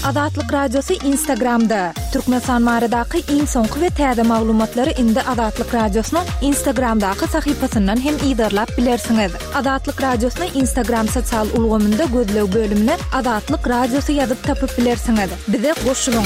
Azatlyk Radiosy Instagramda! Türkmenistan baradaky iň soňky we täze maglumatlary indi Azatlyk Radiosynyň Instagramdaky sahypasyndan hem yzarlap bilersiňiz. Azatlyk Radiosyny Instagram sosial ulgamynda gözleg bölümine Azatlyk Radiosy ýazyp tapyp bilersiňiz. Bize goşulyň!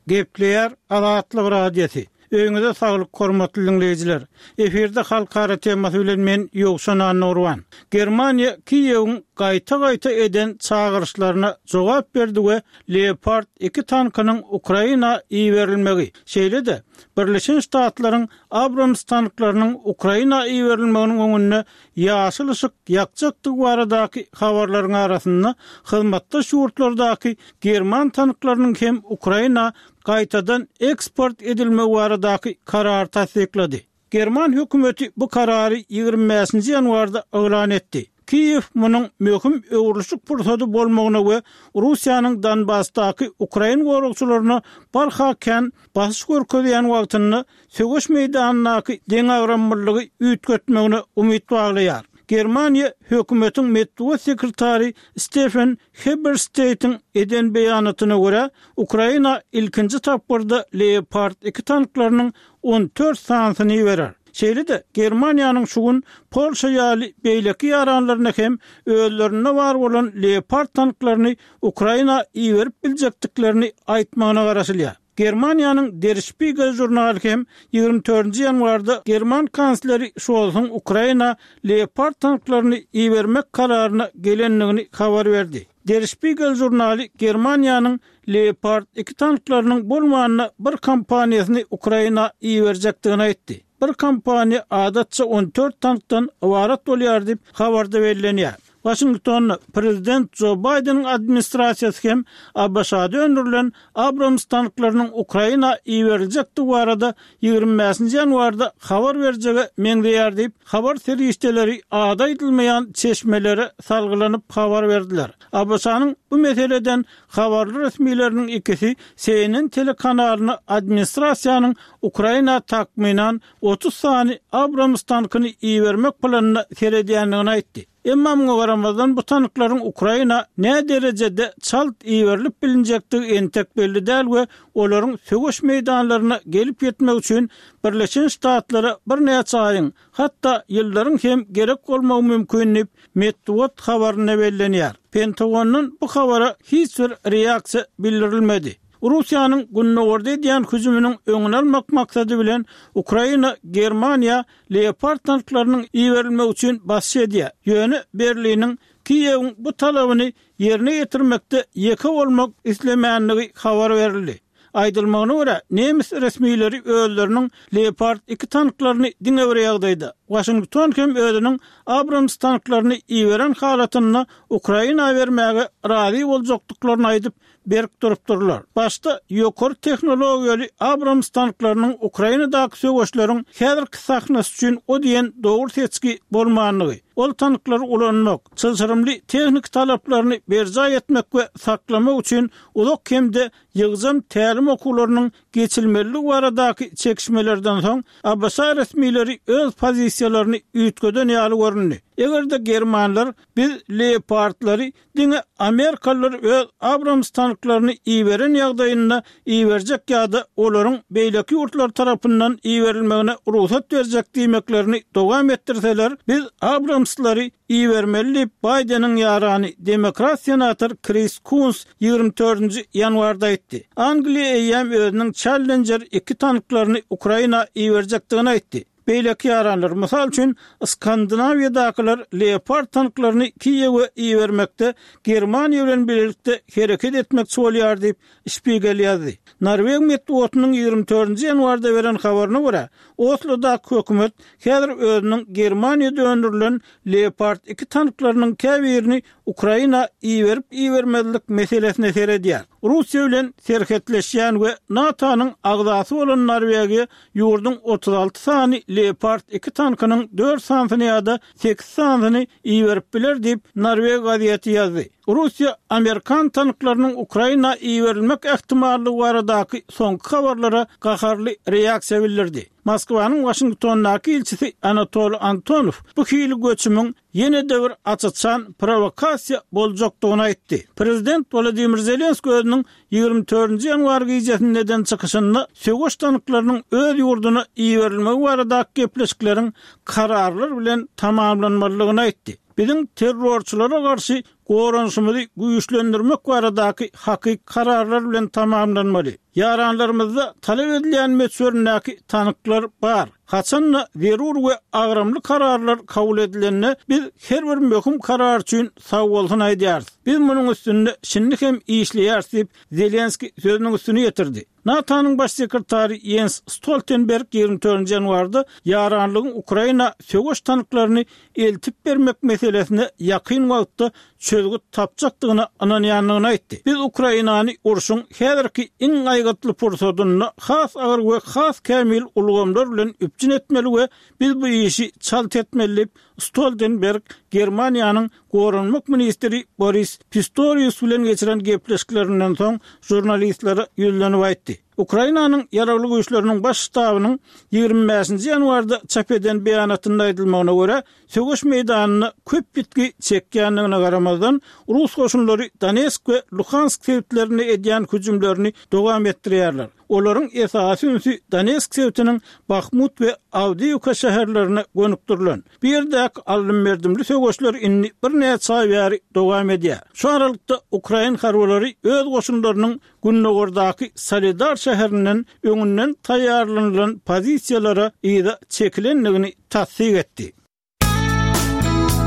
Gepleýär Azatlyk Radiosy. Öýüňize saglyk hormatly diňleýjiler. Efirde halkara temasy bilen men Ýowşan Annagurban. Germaniýa Kiýewiň gaýta-gaýta eden çagyryşlaryna jogap berdi we Leopard iki tankynyň Ukraina iberilmegi, şeýle-de Birleşen Ştatlaryň Abrams tanklarynyň Ukraina iberilmeginiň öňünde ýaşyl yşyk ýakjakdygy baradaky habarlaryň arasynda hyzmatdaş ýurtlardaky german tanklarynyň hem Ukraina gaýtadan eksport edilmegi baradaky karary tassyklady. German hökümeti bu karary 25-nji ýanwarda yglan etdi. Kiýew munuň möhüm öwrülişik pursady bolmagyna we Russiýanyň Donbasdaky ukrain goragçylaryna barha kän basyş görkezýän wagtynda söweş meýdanyndaky deňagramlylygy üýtgetmegine umyt baglaýar. Germaniýa hökümetiň metbugat sekretary Stefen Hebersteýtiň eden beýanatyna görä, Ukraina ilkinji tapgyrda Leopard iki tanklarynyň 14 sanysyny iberer. Şeýle-de, Germaniýanyň şu gün Polşa ýaly beýleki ýaranlaryna hem özlerinde bar bolan Leopard tanklaryny Ukraina iberip biljekdiklerini aýtmagyna garaşylýar. Germaniýanyň Der Spiegel žurnaly hem 24-nji ýanwarda german kansleri Şolsuň Ukraina Leopard tanklaryny ibermek kararyna gelendigini habar berdi. Der Spiegel žurnaly Germaniýanyň Leopard iki tanklarynyň bolmanda bir kompaniýasyny Ukraina iberjekdigini aýtdy. Bir kompaniýa adatça 14 tankdan ybarat bolýar diýip, habarda bellenýär. Waşingtonda prezident Jo Baýdeniň administrasiýasy hem ABŞ-da öndürilen Abrams tanklarynyň Ukraina iberiljekdigi barada 25-nji ýanwarda habar berjege meňzeýär diýip, habar serişdeleri ady aýdylmaýan çeşmelere salgylanyp habar berdiler. ABŞ-nyň bu meseleden habarly resmileriniň ikisi CNN telekanalyna administrasiýanyň Ukraina takmynan 30 sany Abrams tankyny ibermek planyna seredýändigini aýtdy. Emma muňa garamazdan bu tanklaryň Ukraina näderejede çalt iberilip bilinjekdigi entek belli däl we olaryň söweş meýdanlaryna gelip ýetmegi üçin Birleşen Ştatlara birnäçe aýyň, hatda ýyllaryň hem gerek bolmagy mümkin diýip, metbugat habarynda bellenýär. Pentagondan bu habara hiç bir reaksiýa bildirilmedi. Russiýanyň gündogarda edýän hüjüminiň öňüni almak maksady bilen Ukraina Germaniýa Leopard tanklarynyň iberilmegi üçin basyş edýär. Ýöne Berliniň Kiýewiň bu talabyny ýerine ýetirmekde ýeke bolmak islemänligi habar berildi. Aýdylmagyna görä, nemes resmileri özleriniň Leopard iki tanklaryny diňe bir ýagdaýda, Waşington hem özüniň Abrams tanklaryny iberen halatynda Ukraina bermäge razy boljakdyklaryny aýdyp, berk durupdyrlar. Başda ýokary tehnologiýaly Abrams tanklarynyň Ukrainadaky söweşleriň häzirki sahnasy üçin o diýen dogry seçgi bolmandygy, ol tanklary ulanmak, çylşyrymly tehniki talaplaryny berjaý etmek we saklamak üçin uzak hem-de ýygjam tälim okuwlarynyň geçilmelidigi baradaky çekişmelerden soň, ABŞ resmileri öz pozisiýalaryny üýtgeden ýaly göründi. Eger-de germanlar biz Leopardlary Diňe amerikalylar öz Abrams tanklaryny iberen ýagdaýynda iberjek ýa-da olaryň beýleki ýurtlar tarapyndan iberilmegine rugsat berjek diýmeklerini dowam etdirseler, biz Abramslary ibermeli diýip, Baýdeniň ýarany, demokrat senator Kris Kuns 24-nji ýanwarda aýtdy. Angliýa eýýäm özüniň Challenger iki tanklaryny Ukraina iberjekdigini aýtdy. Beýleki ýaranlar, mysal üçin, Skandinawiýadakylar Leopard tanklaryny Kiýewe ibermekde Germaniýa bilen bilelikde hereket etmekçi bolýar diýip, Spiegel ýazdy. Norweg metbugatynyň 24-nji ýanwarda beren habaryna görä, Oslodaky hökümet häzir özüniň Germaniýada öndürilen Leopard iki tanklarynyň käbirini Ukraina iberip-ibermezlik meselesine seredýär. Russiýa bilen serhetleşýän we NATO-nyň agzasy bolan Norwegiýa ýurduň 36 sany Leopard iki tankynyň dört sanysyny ýa-da sekiz sanysyny iberip biler diýip, norweg gazeti ýazdy. Russiýa amerikan tanklarynyň Ukraina iberilmek ähtimallygy baradaky soňky habarlara gaharly reaksiýa bildirdi. Moskwanyň Waşingtondaky ilçisi Anatoli Antonow bu hili göçümiň ýene-de bir aç-açan prowokasiýa boljakdygyny aýtdy. Prezident Wolodymyr Zelenskiý özüniň 24 nji ýanwar gijesinde eden çykyşynda söweş tanklarynyň öz ýurduna iberilmegi baradaky gepleşikleriň kararlar bilen tamamlanmalydygyny aýtdy. Biziň terrorçylara garşy goranyşymyzy güýçlendirmek baradaky hakyky kararlar bilen tamamlanmaly. Ýaranlarymyzda talap edilýän möçberindäki tanklar bar. Haçan-da zerur we agramly kararlar kabul edilende, biz her bir möhüm karar üçin sagbolsun aýdýarys. Biz munuň üstünde şindi hem işleýäris diýip, Zelenskiý sözüniň üstüni ýetirdi. NATO-nyň Baş sekretary Ýens Stoltenberg 24 ýanwarda ýaranlygyň Ukraina söweş tanklaryny eltip bermek meselesine ýakyn wagtda çözgüt tapjakdygyna ynanýandygyny aýtdy. Biz Ukrainany urşuň häzirki iň aýgytly pursadynda has agyr we has kämil ulgamlar bilen üpjün etmeli we biz bu işi çalt etmeli diýip, Stoltenberg Germaniýanyň goranmak ministri Boris Pistorius bilen geçiren gepleşiklerinden soň žurnalistlere ýüzlenip aýtdy. Ukrainanyň Ýaragly Güýçleriniň Baş ştabynyň 25-nji ýanwarda çap eden beýanatynda aýdylmagyna görä, söweş meýdanynda köp ýitgi çekýändigine garamazdan, rus goşunlary Donetsk we Luhansk sebitlerinde edýän hüjümlerini dowam etdirýärler. Olaryň esasy ünsi Donetsk sebitiniň Bahmut we Awdiýewka şäherlerine gönükdirilen. Bu ýerdäki aldym-berdimli söweşler indi birnäçe aý bäri dowam edýär. Şu aralykda, ukrain harbylary öz goşunlarynyň gündogardaky Soledar şäherinden öňünden taýýarlanylan pozisiýalara yza çekilendigini tassyk etdi.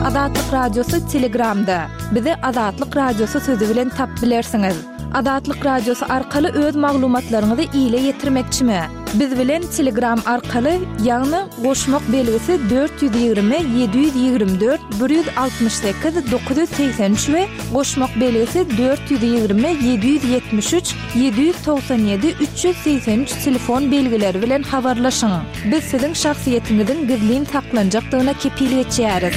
Azatlyk Radiosy Telegramda. Bizi Azatlyk Radiosy sözi bilen tap bilersiňiz. Azatlyk Radiosy arkaly öz maglumatlaryňyzy ile ýetirmekçimi? Biz bilen Telegram arkaly, ýagny goşmak belgisi 420 724 168 983 we goşmak belgisi 420 773 797 383 telefon belgileri bilen habarlaşyň. Biz siziň şahsyýetiňiziň gizlin saklanjakdygyna kepil geçýäris.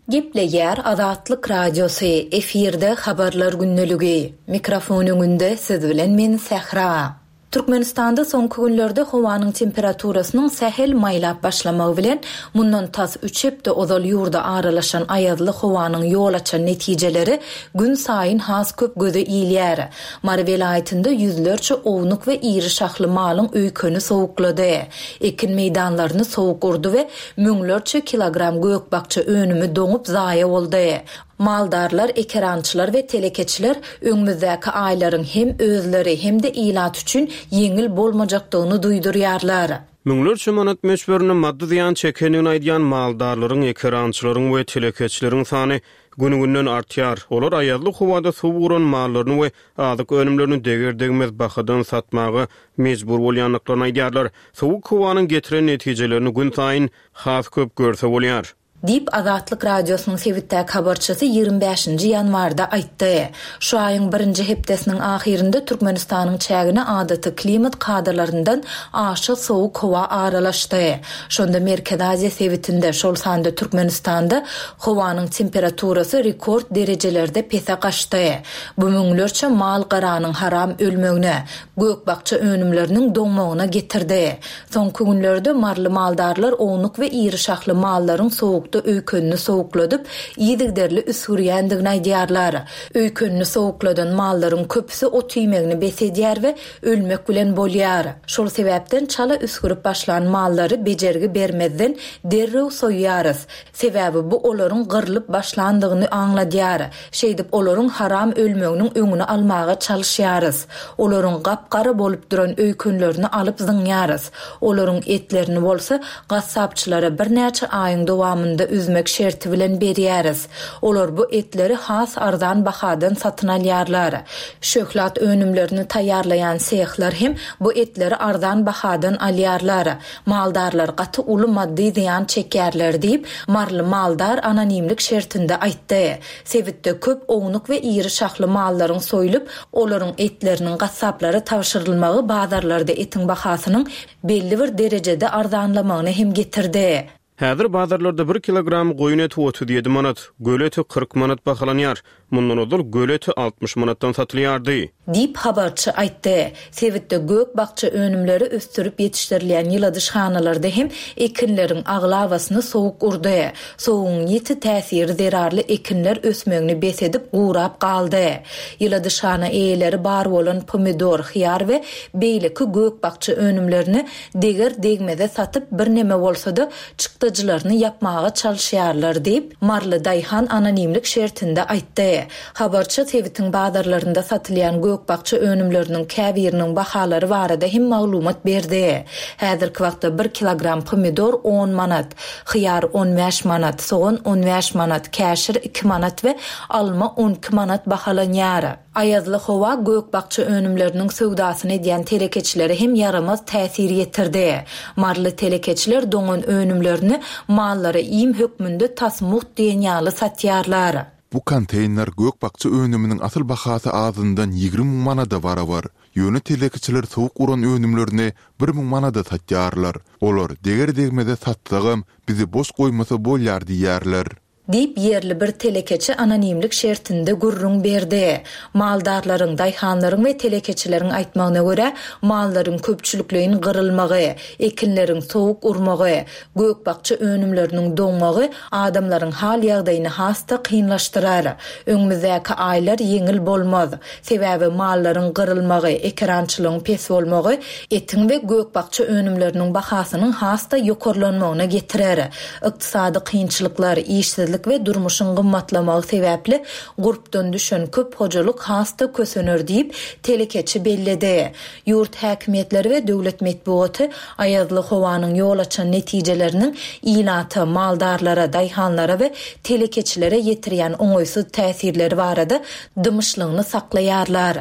Gepleýär Azatlyk Radiosy, efirde Habarlar gündeligi. Mikrofon öňünde siz bilen men Sähra. Türkmenistanda soňky günlerde howanyň temperaturasynyň sähel maýlap başlamagy bilen, mundan tas üç hepde ozal ýurda aralaşan aýazly howanyň ýol açan netijeleri günsaýyn has köp göze ilýär. Mary welaýatynda ýüzlerçe ownuk we iri şahly malyň öýkeni sowuklady. Ekin meýdanlaryny sowuk urdy we müňlerçe kilogram gök-bakja önümi doňup zaýa boldy. Maldarlar, ekerançylar we telekeçiler öňümizdäki aýlaryň hem özleri, hem-de ilat üçin ýeňil bolmajakdygyny duýdurýarlar. Müňlerçe manat möçberinde maddy zyýan çekendigini aýdýan maldarlaryň, ekerançylaryň we telekeçileriň sany gün-günden artýar. Olar aýazly howada suw uran mallaryny we azyk önümlerini deger-degmez bahadan satmaga mejbur bolýandyklaryny aýdýarlar. Sowuk howanyň getiren netijelerini günsaýyn has köp görse bolýar. Diýip, Azatlyk Radiosynyň sebitdäki habarçysy 25 nji ýanwarda aýtdy. Şu aýyň birinji hepdesiniň ahyrynda Türkmenistanyň çägine adaty klimat kadalaryndan aşa sowuk howa aralaşdy. Şonda Merkezi Aziýa sebitinde, şol sanda Türkmenistanda howanyň temperaturasy rekord derejelerde pese gaçdy. Bu müňlerçe mal-garanyň haram ölmegine, gök-bakja önümleriniň doňmagyna getirdi. Soňky günlerde maryly maldarlar ownuk we iri şahly mallaryň sowukda öýkenini sowukladyp, yzygiderli üsgürýändigini aýdýarlar. Öýkenini sowukladan mallaryň köpüsi ot iýmegini bes edýär we ölmek bilen bolýar. Şol sebäpden çala üsgürip başlan mallary bejergi bermezden derrew soýýarys. Sebäbi bu olaryň gyrlyp başlandygyny aňladýar. Şeýdip olaryň haram ölmeginiň öňüni almaga çalyşýarys. Olaryň gap-gara bolup duran öýkenlerini alyp zyňýarys. Olaryň etlerini bolsa gassapçylara birnäçe aýyň dowamynda üzmek şerti bilen berýäris. Olar bu etleri has arzan bahadan satyn alýarlar. Şöhlat önümlerini taýýarlaýan sehler hem bu etleri arzan bahadan alýarlar. Maldarlar gaty uly maddy zyýan çekýärler diýip, maryly maldar anonimlik şertinde aýtdy. Sebitde köp ownuk we iri şahly mallaryň soýlup, olaryň etleriniň gassaplara tabşyrylmagy bazarlarda etiň bahasynyň belli bir derejede arzanlamagyna hem getirdi. Häzir bazarlarda bir kilogram goýun eti 37 manat, göle eti 40 manat bahalanýar. Mundan ozal göle eti 60 manatdan satylýardy. Diýip, habarçy aýtdy. Sebitde gök-bakja önümleri ösdürip ýetişdirilýän ýyladyşhanalarda hem ekinleriň aglabasyny sowuk urdy. Sowugyň ýiti täsiri zerarly ekinler ösmegini bes edip, gurap galdy. Ýyladyşhana eýeleri bar bolan pomidor, hyýar we beýleki gök-bakja önümlerini deger-degmeze satyp, birneme bolsa-da, çykdajylaryny ýapmaga çalyşýarlar diýip, maryly daýhan anonimlik şertinde aýtdy. Habarçy sebitiň bazarlarynda satylýan gök-bakja önümleriniň käbiriniň bahalary barada hem maglumat berdi. Häzirki wagtda bir kilogram pomidor on manat, hyýar on bäş manat, sogan on bäş manat, käşir iki manat we alma on iki manat bahalanýar. Aýazly howa gök-bakja önümleriniň söwdasyny edýän telekeçilere hem ýaramaz täsir ýetirdi. Maryly telekeçiler doňan önümlerini mallara iým hökmünde tas mugt diýen ýaly satýarlar. Bu konteýner gök-bakja önüminiň asyl bahasy azyndan 20 müň manada barabar. Ýöne telekeçiler sowuk uran önümlerini bir müň manada satýarlar. Olar deger-degmeze satsagam, bizi boş goýmasa bolýar diýýärler. Diýip, ýerli bir telekeçi anonimlik şertinde gürrüň berdi. Maldarlaryň, daýhanlaryň we telekeçileriň aýtmagyna görä, mallaryň köpçülikleýin gyrylmagy, ekinleriň sowuk urmagy, gök-bakja önümleriniň doňmagy adamlaryň hal-ýagdaýyny has-da kynlaşdyrar. Öňümizdäki aýlar ýeňil bolmaz. Sebäbi mallaryň gyrylmagy, ekerançylygyň pes bolmagy etiň we gök-bakja önümleriniň bahasynyň has-da ýokarlanmagyna getirer. Ykdysady kynçylyklar, işsizlik we durmuşyň gymmatlamagy sebäpli gurpdan düşen köp hojalyk has-da kösener diýip, telekeçi belledi. Ýurt häkimiýetleri we döwlet metbugaty aýazly howanyň ýol açan netijeleriniň ilata, maldarlara, daýhanlara we telekeçilere ýetirýän oňaýsyz täsirleri barada dymyşlygyny saklaýarlar.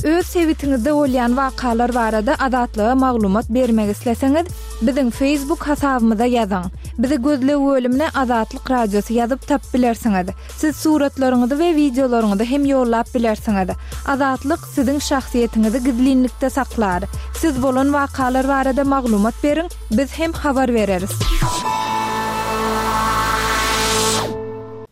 Öz sebitiňizde bolýan wakalar barada Azatlyga maglumat bermek isleseňiz, biziň Facebook hasabymyza ýazyň. Bizi gözleg bölümine Azatlyk Radiosy ýazyp tapyp bilersiňiz. Siz suratlaryňyzy we wideolaryňyzy hem ýollap bilersiňiz. Azatlyk siziň şahsyýetiňizi gizlinlikde saklar. Siz bolan wakalar barada maglumat beriň, biz hem habar bereris.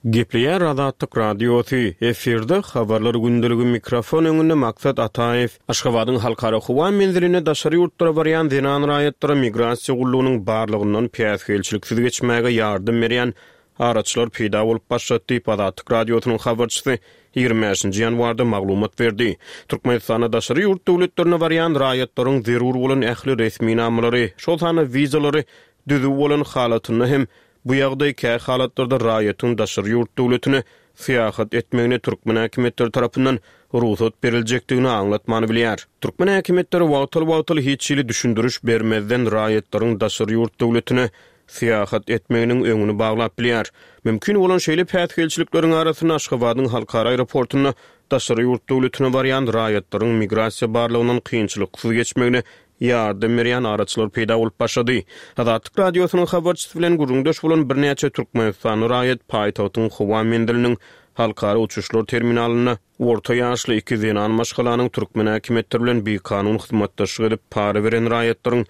Gepleýär Azatlyk Radiosy, efirde Habarlar gündeligi mikrofon öňünde Maksat Ataýew. Aşgabadyň Halkara howa menzilinde daşary ýurtlara barýan zenan raýatlara migrasiýa gullugynyň barlagyndan päsgelçiliksiz geçmäge ýardam berýän araçylar peýda bolup başlady diýip, Azatlyk Radiosynyň habarçysy 25-nji ýanwarda maglumat berdi. Türkmenistanda daşary ýurt döwletlerine barýan raýatlaryň zerur bolan ähli resminamalary, şol sanda wizalary düzüw bolan halatynda hem bu ýagdaý kä halatlarda raýatyň daşary ýurt döwletine syýahat etmegine türkmen häkimiýetleri tarapyndan rugsat beriljekdigini aňlatmany bilýär. Türkmen häkimiýetleri wagtal-wagtal hiç hili düşündiriş bermezden raýatlaryň daşary ýurt döwletine syýahat etmeginiň öňüni baglap bilýär. Mümkin bolan şeýle päsgelçilikleriň arasynda Aşgabadyň halkara aeroportunda daşary ýurt döwletine barýan raýatlaryň migrasiýa barlagyndan kynçylyksyz geçmegine ýardam berýän araçylar peýda bolup başlady. Azatlyk Radiosynyň habarçysy bilen gürrüňdeş bolan birnäçe türkmenistanly raýat paýtagtyň howa menziliniň halkara uçuşlar terminalynda orta ýaşly iki zenan maşgalanyň türkmen häkimiýetleri bilen bikanun hyzmatdaşlyk edip para beren raýatlaryň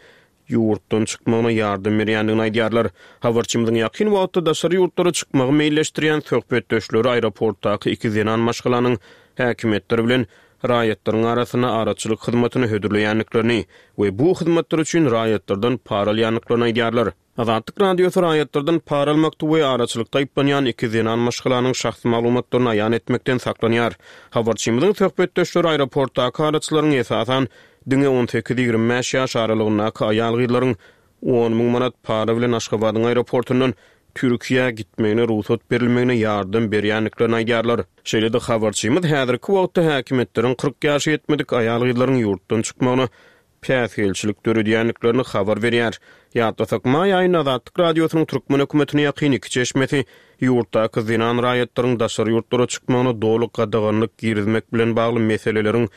ýurtdan çykmagyna ýardam berýändigini aýdýarlar. Habarçymyzyň ýakyn wagtda daşary ýurtlara çykmagy meýilleşdirýän söhbetdeşleri aeroportdaky iki zenan maşgalanyň häkimiýetler bilen raýatlaryň arasynda araçylyk hyzmatyny hödürleýändiklerini we bu hyzmatlar üçin raýatlardan para alýandyklaryny aýdýarlar. Azatlyk Radiosy raýatlardan para almakda we araçylykda aýyplanýan iki zenan maşgalanyň şahsy maglumatlaryny aýan etmekden saklanýar. Habarçymyzyň söhbetdeşleri aeroportdaky araçylaryň esasan diňe on sekiz-ýigrimi bäş ýaş aralygyndaky aýal-gyzlaryň on müň manat para bilen Aşgabadyň aeroportundan Türkiýä gitmegine rugsat berilmegine ýardam berýändiklerini aýdýarlar. Şeýle-de habarçymyz häzirki wagtda häkimiýetleriň 40 ýaşa ýetmedik aýal-gyzlaryň ýurtdan çykmagyna päsgelçilik döredýändiklerini habar berýär. Ýatlasak, maý aýynda Azatlyk Radiosynyň türkmen hökümetine ýakyn iki çeşmesi ýurtdaky zenan raýatlaryň daşary ýurtlara çykmagyna doly gadaganlyk girizmek bilen bagly meseleleriň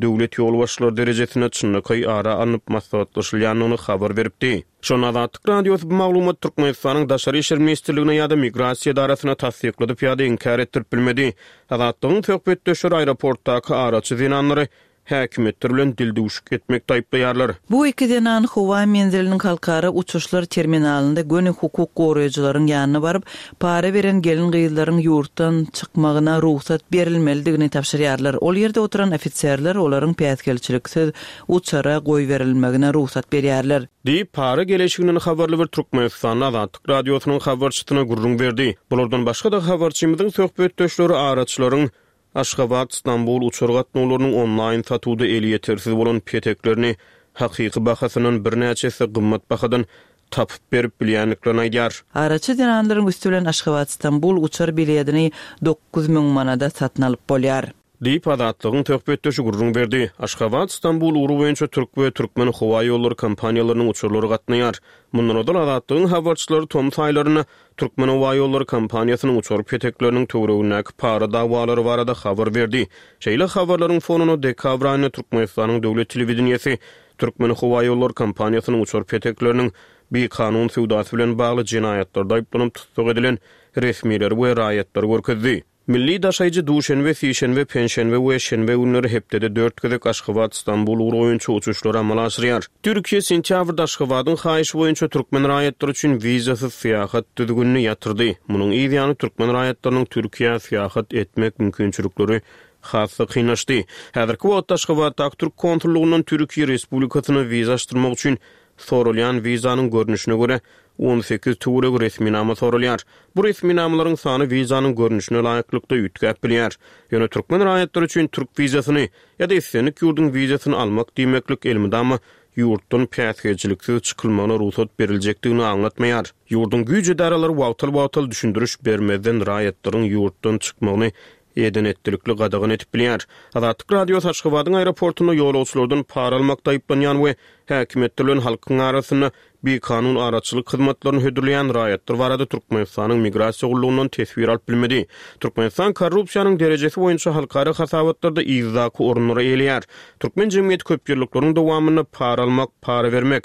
döwlet ýolbaşçylary derejesinde çynlakaý ara alnyp maslahatlaşylýandygyny habar beripdi. Şonda Azatlyk Radiosy bu maglumaty Türkmenistanyň Daşary işler ministrligine ýa-da Migrasiýa edarasyna tassykladyp ýa-da inkär etdirip bilmedi. Azatlygyň söhbetdeşleri aeroportdaky araçy zenanlary. häkimiýetler bilen dildüwşük etmekde aýyplaýarlar. Bu iki zenan howa menziliniň halkara uçuşlar terminalynda göni hukuk goraýjylaryň ýanyna baryp, para beren gelin-gyzlaryň ýurtdan çykmagyna rugsat berilmelidigini tabşyrýarlar. Ol ýerde oturan ofiserler olaryň päsgelçiliksiz uçara goýberilmegine rugsat berýärler. Diýip, para geleşiginden habarly bir türkmenistanly Azatlyk Radiosynyň habarçysyna gürrüň berdi. Bulardan başga-da habarçymyzyň söhbetdeşleri araçylaryň Aşgabat, Stambul uçar gatnawlarynyň onlaýn satuwda elýetersiz bolan peteklerini hakyky bahasyndan birnäçe esse gymmat bahadan tapyp berip bilýändiklerini aýdýar. Araçy zenanlaryň üsti bilen Aşgabat-Stambul uçar biledini 9000 manada satyn alyp bolýar. Diýip, Azatlygyň söhbetdeşi gürrüň berdi. Aşgabat, Stambul ugry boýunça türk we türkmen howaýollary kompaniýalarynyň uçarlary gatnaýar. Mundan ozal Azatlygyň habarçylary tomus aýlarynda Türkmenhowaýollary kompaniýasynyň uçar petekleriniň töweregindäki para dawalary barada habar berdi. Şeýle habarlaryň fonunda dekabr aýynda Türkmenistanyň döwlet telewideniýesi Türkmenhowaýollary kompaniýasynyň uçar petekleriniň bikanun söwdasy bilen bagly jenaýatlarda aýyplanyp tussag edilen resmileri we raýatlary görkezdi. Milli daşaýjy duşenbe, sişenbe, penşenbe we şenbe günleri hepdede dört gezek Aşgabat, Stambul ugry boýunça uçuşlary amala aşyrýar. Türkiýe sentýabrda Aşgabadyň haýyşy boýunça türkmen raýatlary üçin wizasyz syýahat düzgünini ýatyrdy. Munuň yz ýany türkmen raýatlarynyň Türkiýä syýahat etmek mümkinçilikleri has-da kynlaşdy. Häzirki wagtda Aşgabatdaky türk konsullygyndan Türkiýe Respublikasyna wiza açdyrmak üçin Soralýan wizanyň görnüşine görä, 18 töweregi resminama soralýar. Bu resminamalaryň sany wizanyň görnüşine laýyklykda üýtgäp bilýär. Ýöne türkmen raýatlary üçin türk wizasyny ýa-da islendik ýurduň wizasyny almak diýmeklik elmydama ýurtdan päsgelçiliksiz çykylmagyna rugsat beriljekdigini aňlatmaýar. Ýurduň güýç edaralary wagtal-wagtal düşündiriş bermezden raýatlaryň ýurtdan çykmagyny eden-etdilikli gadagan edip bilýär. Azatlyk Radiosy Aşgabadyň aeroportunda ýolagçylardan para almakda aýyplanýan we häkimiýetler bilen halkyň arasynda bikanun araçylyk hyzmatlaryny hödürleýän raýatlar barada Türkmenistanyň Migrasiýa gullugyndan teswir alyp bilmedi. Türkmenistan korrupsiýanyň derejesi boýunça halkara hasabatlarda yzdaky orunlary eýeleýär. Türkmen jemgyýeti köpýyllyklaryň dowamynda para almak, para bermek,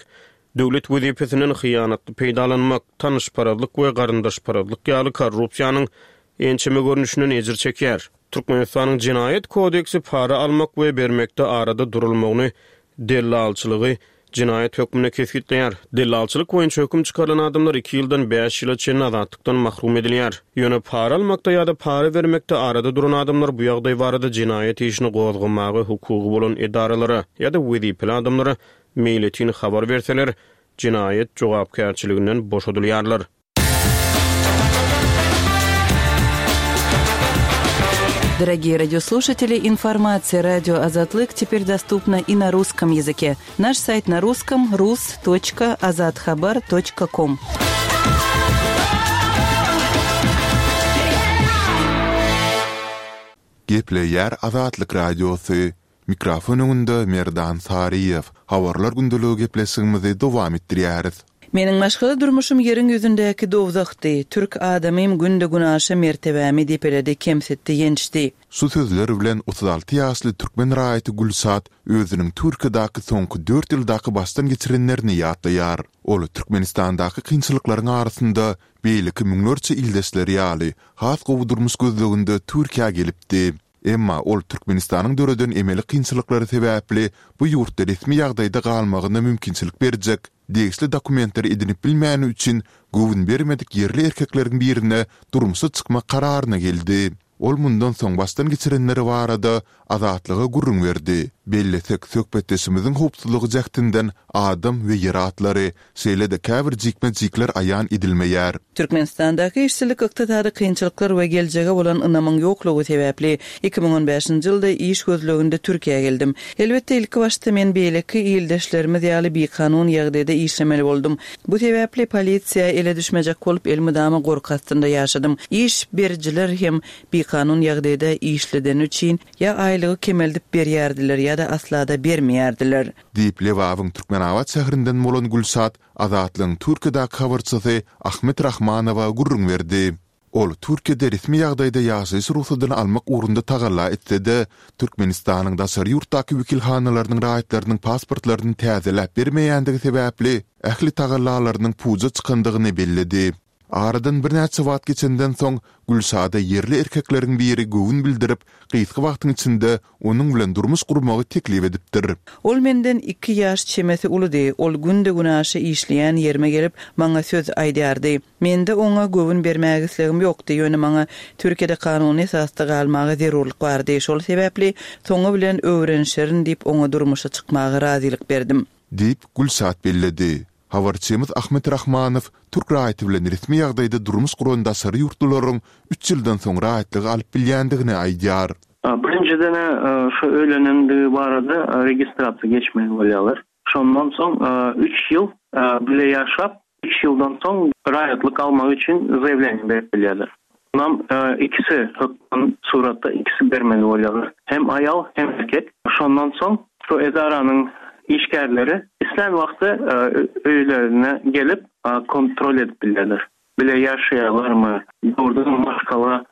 döwlet wezipesinden hyýanatly peýdalanmak, tanyşparazlyk we garyndaşparazlyk ýaly korrupsiýanyň ençeme görnüşinden ejir çekýär. Türkmenistanyň Jenaýat kodeksi para almak we bermekde arada durulmagyny, dellalçylygy jenaýat hökmünde kesgitleýär. Dellalçylyk boýunça höküm çykarylan adamlar iki ýyldan bäş ýyla çenli azatlykdan mahrum edilýär. Ýöne para almakda ýa-da para bermekde arada duran adamlar bu ýagdaý barada jenaýat işini gozgamaga hukugy bolan edaralara ýa-da wezipeli adamlara meýletin habar berseler, jenaýat jogapkärçiliginden boşadylýarlar. Дорогие радиослушатели, информация радио Азатлык теперь доступна и на русском языке. Наш сайт на русском rus.azathabar.com. Gepleýär Azatlyk Radiosy. Mikrofon öňünde Merdan Saryýew. Habarlar gündeligi gepleşigimizi dowam etdirýäris. Meniň maşgala durmuşym ýeriň ýüzündäki dowzahdy. Türk adamym günde-günaşa mertebämi depeledi, kemsitdi, ýençdi. Şu sözler bilen 36 ýaşly türkmen raýaty Gülşat özüniň Türkiýedäki soňky dört ýyldaky başdan geçirenlerini ýatlaýar. Ol Türkmenistandaky kynçylyklaryň arasynda beýleki müňlerçe ildeşleri ýaly, has gowy durmuş gözleginde Türkiýä gelipdi. Emma ol Türkmenistanyň döreden emeli kynçylyklary sebäpli bu ýurtda resmi ýagdaýda galmagyna mümkinçilik berjek degişli dokumentleri edinip bilmäni üçin göwün bermedik ýerli erkekleriň birine durmuşa çykmak kararyna geldi. Ol mundan soň başdan geçirenleri barada Azatlyga gürrüň berdi. Bellesek, söhbetdeşimiziň howpsuzlygy jähtinden adam we ýer atlary, şeýle-de käbir jikme-jikler aýan edilmeýär. Türkmenistandaky işsizlik, ykdysady kynçylyklar we geljege bolan ynamyň ýoklugy sebäpli, 2015-nji ýylda iş gözleginde Türkiýä geldim. Elbetde, ilkibaşda men beýleki ildeşlerimiz ýaly bikanun ýagdaýda işlemeli boldum. Bu sebäpli polisiýa ele düşmejek bolup, elmydama gorky astynda ýaşadym. Iş berijiler hem bikanun ýagdaýda işledeni üçin ýa aýlygy kemeldip berýärdiler ýa-da asla-da bermeýärdiler. Diýip, Lebabyň Türkmenabat şäherinden bolan Gülşat Azatlygyň Türkiýedäki habarçysy Ahmet Rahmanowa gürrüň berdi. Ol Türkiýede resmi ýagdaýda ýaşaýyş rugsadyny almak ugrunda tagalla etse-de, Türkmenistanyň daşary ýurtdaky wekilhanalarynyň raýatlarynyň pasportlaryny täzeläp bermeýändigi sebäpli, ähli tagallalarynyň puja çykandygyny belledi. Aradan birnäçe wagt geçenden soň, Gülşada ýerli erkekleriň biri göwün bildirip, gysga wagtyň içinde onuň bilen durmuş gurmagy teklip edipdir. Ol menden iki ýaş çemesi uludy. Ol günde-günaşa işleýän ýerime gelip, maňa söz aýdýardy. Mende oňa göwün bermäge islegim ýokdy, ýöne maňa Türkiýede kanuny esasda galmaga zerurlyk bardy. Şol sebäpli, soňy bilen öwrenişerin diýip, oňa durmuşa çykmaga razylyk berdim. Diýip, Gülşat belledi. Habarçymyz Ahmet Rahmanow türk raýaty bilen resmi ýagdaýda durmuş guran daşary ýurtlularyň üç ýyldan soň raýatlygy alyp bilýändigini aýdýar. Birinjiden-ä şu öýlenendigi barada registrasiýa geçmeli bolýarlar. Şondan soň üç ýyl bile ýaşap, üç ýyldan soň raýatlyk almak üçin zaýawleniýe berip bilýärler. Munam ikisi hökman suratda ikisi bermeli bolýarlar. Hem aýal, hem erkek. Şondan soň şu edaranyň işgärleri islän wagty öýlerine gelip kontrol edip bilýärler. Bile ýaşaýarlarmy, dogrudanam maşgala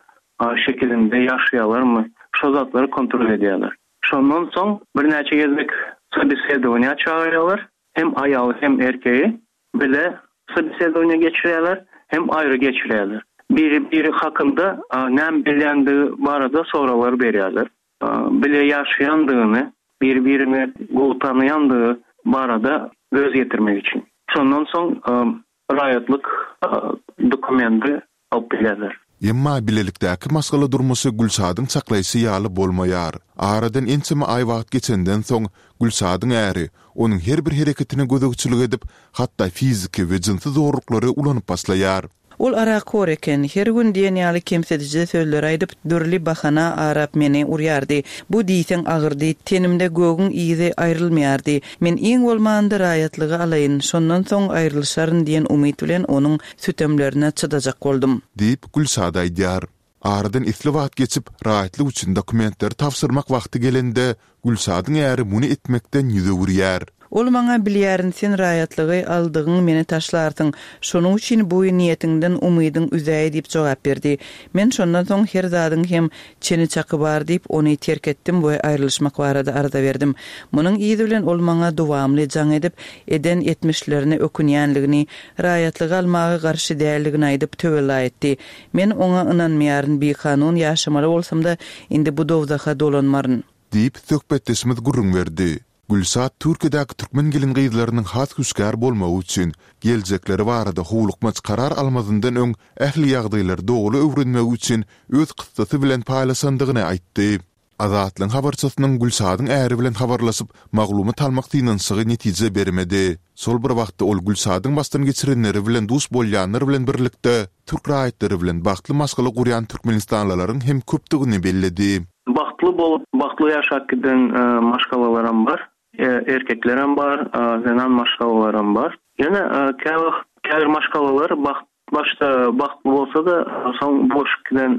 şekilinde ýaşaýarlarmy, şo zatlary kontrol edýärler. Şondan soň birnäçe gezek sobesedowaniýa çagyrýarlar, hem aýaly hem erkegi. Bile sobesedowaniýa geçirýärler, hem aýry geçirýärler. Biri biri hakynda näme bilýändigi barada soraglar berýärler. Bile ýaşaýandygyny, biri birini gowy tanaýandygy barada göz ýetirmek üçin. Şondan soň raýatlyk dokumendi alyp bilýärler. Emma bilelikdäki maşgala durmuşy Gülşadyň çaklaýşy ýaly bolmaýar. Aradan ençeme aý wagt geçenden soň, Gülşadyň äri onuň her bir hereketine gözegçilik edip, hatda fiziki we jynsy zorluklary ulanyp başlaýar. Ol arakhor eken. Her gün diýen ýaly kemsidiji sözleri aýdyp, dürli bahana arap meni urýardy. Bu diýseň agyrdy. Tenimde gögüň yzy aýrylmaýardy. Men iň bolmanda raýatlygy alaýyn, şondan soň aýrylyşaryn diýen umyt bilen onuň sütemlerine çydajak boldum. Diýip, Gülşat aýdýar. Aradan esli wagt geçip, raýatlyk üçin dokumentleri tabşyrmak wagty gelende, Gülşadyň äri muny etmekden ýüz öwürýär. Ol maňa, Bilýärin, sen raýatlygy aldygyň meni taşlarsyň. Şonuň üçin bu niýetiňden umydyň üzäý diýip jogap berdi. Men şondan soň her zadyň hem çeni-çaky bar diýip, ony terk etdim we aýrylyşmak barada arza berdim. Munuň yzy bilen ol maňa dowamly jaň edip, eden etmişlerine ökünýänligini, raýatlygy almaga garşy däldigini aýdyp, töwella etdi. Men oňa ynanmaýaryn, bikanun ýaşamaly bolsam-da, indi bu dowzaha dolanmaryn. Diýip, söhbetdeşimiz gürrüň berdi. Gülşat Türkiýedäki türkmen gelin-gyzlarynyň has hüşgär bolmagy üçin, geljekleri barada howlukmaç karar almazyndan öň ähli ýagdaýlary doly öwrenmegi üçin öz kyssasy bilen paýlaşandygyny aýtdy. Azatlygyň habarçysynyň Gülşadyň äri bilen habarlaşyp, maglumat almak synanyşygy netije bermedi. Şol bir wagtda ol Gülşadyň başdan geçirenleri bilen duş bolýanlar bilen birlikde, türk raýatlary bilen bagtly maşgala gurýan türkmenistanlylaryň hem köpdügini belledi. Bagtly bolup, bagtly ýaşap giden maşgalalaram bar. Erkeklerem bar, zenan maşgalalaram bar. Ýöne käwagt käbir maşgalalar bagt başda bagtly bolsa-da, soň bulaşyp giden,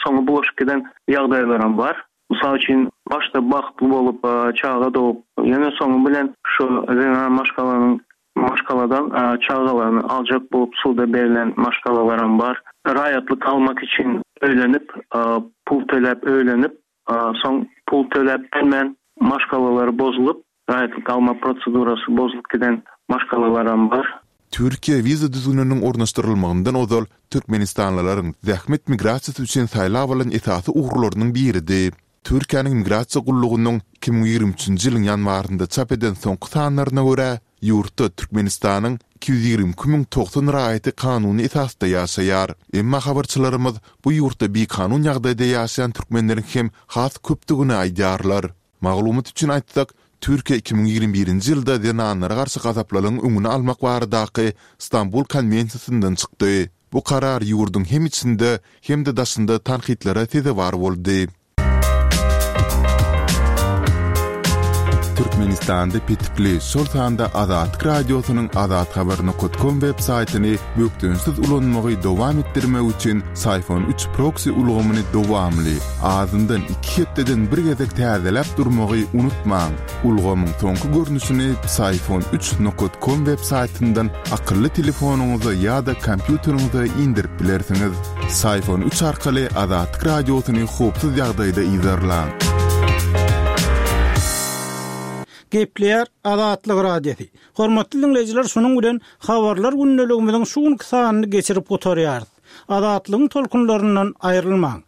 soňy bulaşyp giden ýagdaýlaram bar. Mysal üçin, başda bagtly bolup, çaga dogup, ýöne soňy bilen şu zenan maşgalanyň maşgaladan çagalaryny aljak bolup suda berlen maşgalalaram bar. Raýatlyk almak üçin öýlenip, pul töläp öýlenip, Soň pul töläp bilmän maşgalalary bozulyp, raýatlyk alma prosedurasy bozulyp giden maşgalalaram bar. Türkiýe wiza düzgüniniň ornaşdyrylmagyndan ozal türkmenistanlylaryň zähmet migrasiýasy üçin saýlap alan esasy ugurlarynyň biridi. Türkiýäniň Migrasiýa gullugynyň 2023-nji ýylyň ýanwarynda çap eden soňky sanlaryna görä, Ýurtda Türkmenistanyň 222 090 raýaty kanuny esasda ýaşaýar. Emma habarçylarymyz bu ýurtda bikanun ýagdaýda ýaşaýan türkmenleriň hem has köpdügini aýdýarlar. Maglumat üçin aýtsak, Türkiýe 2021-nji ýylda zenanlara garşy gazaplylygyň öňüni almak baradaky Stambul konwensiýasyndan çykdy. Bu karar ýurduň hem içinde, hem-de daşynda tankytlara sezewar boldy. Türkmenistanda petikli, şol sanda Azatlyk Radiosynyň azathabar.com web saýtyny bökdençsiz ulanmagy dowam etdirmek üçin Syfon 3 proksi ulgamyny dowamly, azyndan iki hepdeden bir gezek täzeläp durmagy unutmaň. Ulgamyň soňky görnüşini Psiphon 3 nokat com web saýtyndan akylly telefonyňyza ýa-da kompýuteriňize indirip bilersiňiz. Psiphon 3 arkaly Azatlyk Radiosyny howpsuz ýagdaýda yzarlaň. Gepleýär Azatlyk Radiosy. Hormatly diňleýjiler şunuň bilen Habarlar gündeligimiziň şu günki sanyny geçirip gutarýarys. Azatlygyň tolkunlaryndan aýrylmaň.